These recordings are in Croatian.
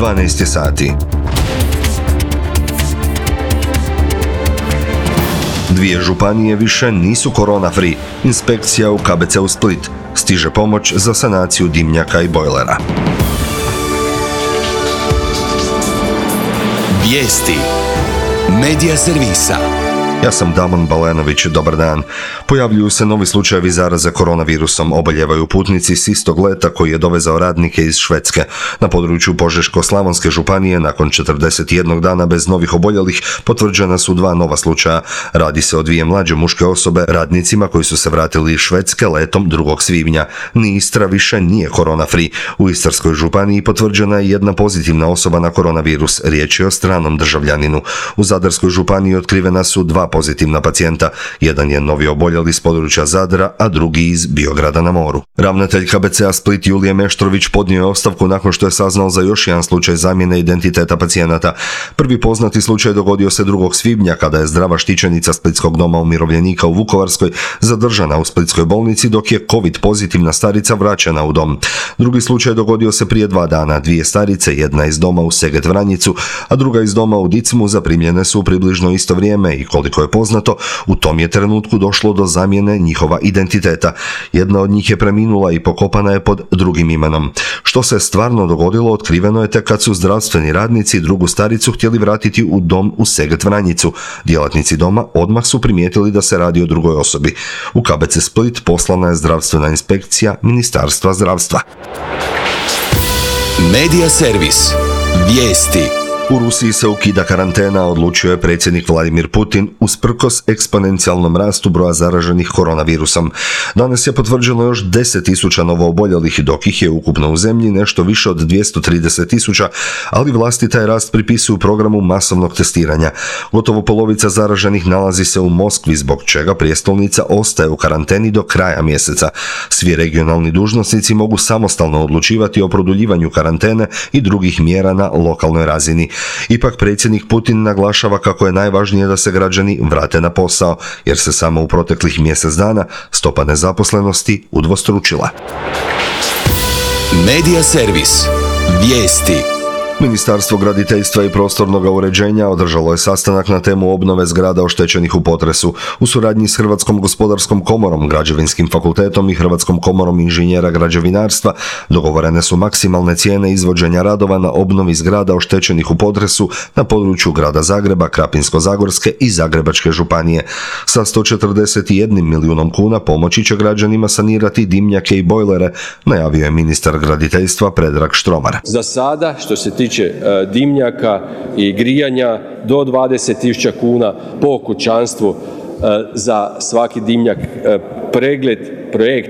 12 sati. Dvije županije više nisu korona free. Inspekcija u KBC-u Split. Stiže pomoć za sanaciju dimnjaka i bojlera. Vijesti Medija servisa. Ja sam Damon Balenović, dobar dan. Pojavljuju se novi slučajevi zaraze koronavirusom. Oboljevaju putnici s istog leta koji je dovezao radnike iz Švedske. Na području Požeško-slavonske županije nakon 41 dana bez novih oboljelih potvrđena su 2 nova slučaja. Radi se o 2 mlađe muške osobe, radnicima koji su se vratili iz Švedske letom 2. svibnja. Ni Istra više nije korona free. U Istarskoj županiji potvrđena je 1 pozitivna osoba na koronavirus. Riječ je o stranom državljaninu. U Zadarskoj županiji otkrivena su 2 pozitivna pacijenta. Jedan je novi oboljeli s područja Zadra, a drugi iz Biograda na moru. Ravnatelj KBC-a Split Julije Meštrović podnio je ostavku nakon što je saznao za još jedan slučaj zamjene identiteta pacijenata. Prvi poznati slučaj dogodio se 2. svibnja kada je zdrava štićenica Splitskog doma umirovljenika u Vukovarskoj zadržana u splitskoj bolnici dok je COVID pozitivna starica vraćena u dom. Drugi slučaj dogodio se prije 2 dana. 2 starice, jedna iz doma u Seget Vranjicu, a druga iz doma u Dicmu zaprimljene su u približno isto vrijeme i koliko je poznato, u tom je trenutku došlo do zamjene njihova identiteta. Jedna od njih je preminula i pokopana je pod drugim imenom. Što se stvarno dogodilo, otkriveno je tek kad su zdravstveni radnici drugu staricu htjeli vratiti u dom u Seget Vranjicu. Djelatnici doma odmah su primijetili da se radi o drugoj osobi. U KBC Split poslana je zdravstvena inspekcija Ministarstva zdravstva. Medija servis. Vijesti. U Rusiji se ukida karantena, odlučio je predsjednik Vladimir Putin usprkos eksponencijalnom rastu broja zaraženih koronavirusom. Danas je potvrđeno još 10.000 novooboljelih, dok ih je ukupno u zemlji nešto više od 230.000, ali vlasti taj rast pripisuju programu masovnog testiranja. Gotovo polovica zaraženih nalazi se u Moskvi, zbog čega prijestolnica ostaje u karanteni do kraja mjeseca. Svi regionalni dužnosnici mogu samostalno odlučivati o produljivanju karantene i drugih mjera na lokalnoj razini. Ipak predsjednik Putin naglašava kako je najvažnije da se građani vrate na posao, jer se samo u proteklih mjesec dana stopa nezaposlenosti udvostručila. Medija servis. Vijesti. Ministarstvo graditeljstva i prostornog uređenja održalo je sastanak na temu obnove zgrada oštećenih u potresu. U suradnji s Hrvatskom gospodarskom komorom, Građevinskim fakultetom i Hrvatskom komorom inženjera građevinarstva dogovorene su maksimalne cijene izvođenja radova na obnovi zgrada oštećenih u potresu na području grada Zagreba, Krapinsko-zagorske i Zagrebačke županije. Sa 141 milijunom kuna pomoći će građanima sanirati dimnjake i bojlere, najavio je ministar graditeljstva Predrag Štromar. Za sada, što se tiče dimnjaka i grijanja, do 20.000 kuna po kućanstvu za svaki dimnjak, pregled, projekt,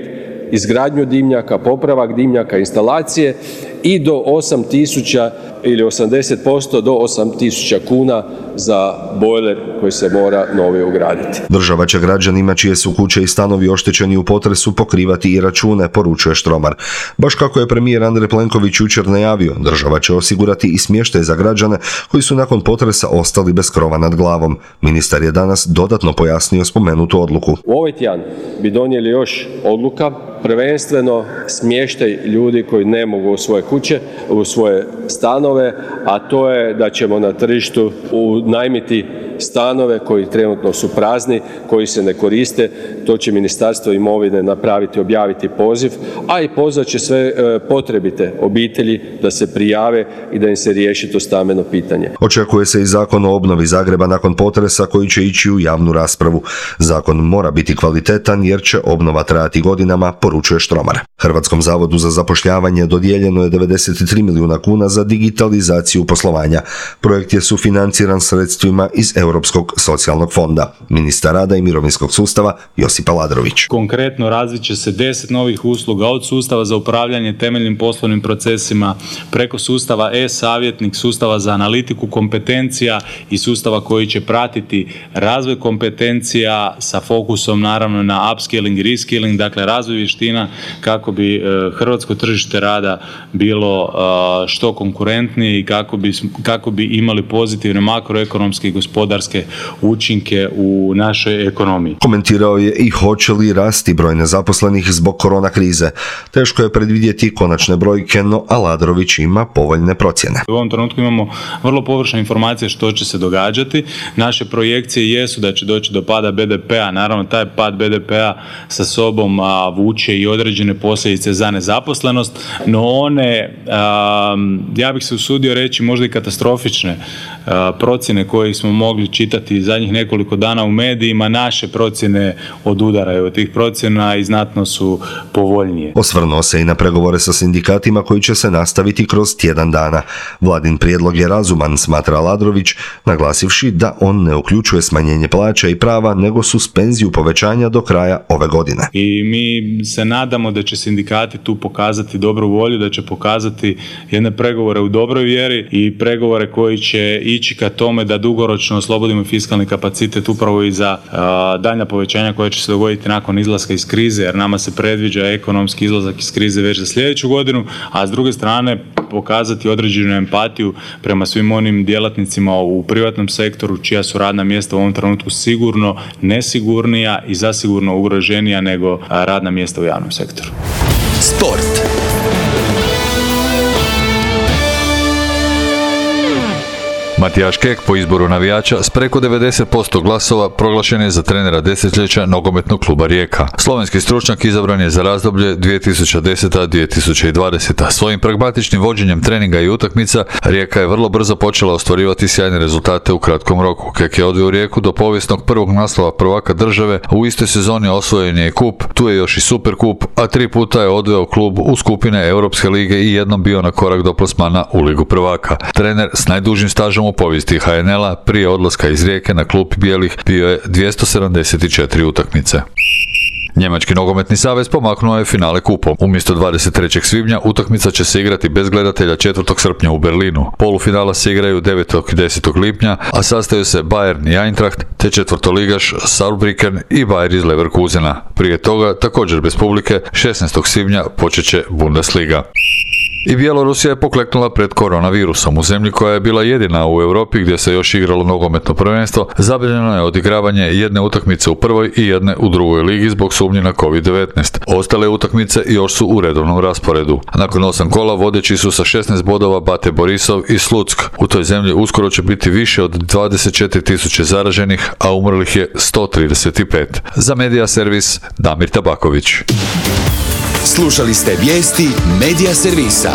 izgradnju dimnjaka, popravak dimnjaka, instalacije i do 8.000 ili 80% do 8.000 kuna za bojler koji se mora novi ugraditi. Država će građanima čije su kuće i stanovi oštećeni u potresu pokrivati i račune, poručuje Štromar. Baš kako je premijer Andrej Plenković jučer najavio, država će osigurati i smještaj za građane koji su nakon potresa ostali bez krova nad glavom. Ministar je danas dodatno pojasnio spomenutu odluku. U ovaj tjedan bi donijeli još odluka, prvenstveno smještaj ljudi koji ne mogu u svoje kuće, u svoje stanove, a to je da ćemo na tržištu unajmiti stanove koji trenutno su prazni, koji se ne koriste. To će Ministarstvo imovine napraviti, objaviti poziv, a i pozvat će sve potrebite obitelji da se prijave i da im se riješi to stambeno pitanje. Očekuje se i zakon o obnovi Zagreba nakon potresa koji će ići u javnu raspravu. Zakon mora biti kvalitetan jer će obnova trajati godinama, poručuje Štromar. Hrvatskom zavodu za zapošljavanje dodijeljeno je 93 milijuna kuna za digitalizaciju poslovanja. Projekt je sufinanciran sredstvima iz Europskog socijalnog fonda. Ministar rada i mirovinskog sustava Josip Aladrović. Konkretno razvit će se 10 novih usluga od sustava za upravljanje temeljnim poslovnim procesima preko sustava e-savjetnik, sustava za analitiku kompetencija i sustava koji će pratiti razvoj kompetencija sa fokusom naravno na upskilling i reskilling, dakle razvoj vještina kako bi hrvatsko tržište rada bilo što konkurentnije i kako bi imali pozitivne makroekonomske i gospodarske učinke u našoj ekonomiji. Komentirao je i hoće li rasti broj nezaposlenih zbog korona krize. Teško je predvidjeti konačne brojke, no Aladrović ima povoljne procjene. U ovom trenutku imamo vrlo površne informacije što će se događati. Naše projekcije jesu da će doći do pada BDP-a. Naravno, taj pad BDP-a sa sobom vuče i određene posljedice za nezaposlenost, no one, ja bih se usudio reći, možda i katastrofične procjene koje smo mogli čitati zadnjih nekoliko dana u medijima, naše procjene odudaraju od tih procjena i znatno su povoljnije. Osvrnuo se i na pregovore sa sindikatima koji će se nastaviti kroz tjedan dana. Vladin prijedlog je razuman, smatra Aladrović, naglasivši da on ne uključuje smanjenje plaća i prava, nego suspenziju povećanja do kraja ove godine. I mi se nadamo da će sindikati tu pokazati dobru volju, da će pokazati jedne pregovore u dobroj vjeri i pregovore koji će ići ka tome da dugoročno oslobodimo fiskalni kapacitet upravo i za daljnja povećanja koja će se dogoditi nakon izlaska iz krize, jer nama se predviđa ekonomski izlazak iz krize već za sljedeću godinu, a s druge strane pokazati određenu empatiju prema svim onim djelatnicima u privatnom sektoru čija su radna mjesta u ovom trenutku sigurno nesigurnija i zasigurno ugroženija nego radna mjesta u javnom sektoru. Sport. Matijaš Kek po izboru navijača s preko 90% glasova proglašen je za trenera desetljeća nogometnog kluba Rijeka. Slovenski stručnjak izabran je za razdoblje 2010-2020. Svojim pragmatičnim vođenjem treninga i utakmica Rijeka je vrlo brzo počela ostvarivati sjajne rezultate u kratkom roku. Kek je odveo Rijeku do povijesnog prvog naslova prvaka države, a u istoj sezoni osvojen je i kup, tu je još i super kup, a 3 puta je odveo klub u skupine Europske lige i jednom bio na korak do plasmana u Ligu prvaka. Trener s najdužim stažom u povijesti HNL-a prije odlaska iz Rijeke na klupi bijelih bio je 274 utakmice. Njemački nogometni savez pomaknuo je finale kupom. Umjesto 23. svibnja utakmica će se igrati bez gledatelja 4. srpnja u Berlinu. Polufinala se igraju 9. i 10. lipnja, a sastaju se Bayern i Eintracht, te četvrtoligaš Saarbrücken i Bayer iz Leverkusena. Prije toga, također bez publike, 16. svibnja počet će Bundesliga. I Bjelorusija je pokleknula pred koronavirusom. U zemlji koja je bila jedina u Europi gdje se još igralo nogometno prvenstvo, zabranjeno je odigravanje jedne utakmice u prvoj i jedne u drugoj ligi zbog sumnje na COVID-19. Ostale utakmice još su u redovnom rasporedu. Nakon 8 kola vodeći su sa 16 bodova Bate Borisov i Sluck. U toj zemlji uskoro će biti više od 24.000 zaraženih, a umrlih je 135. Za Medija servis Damir Tabaković. Slušali ste vijesti Medija servisa.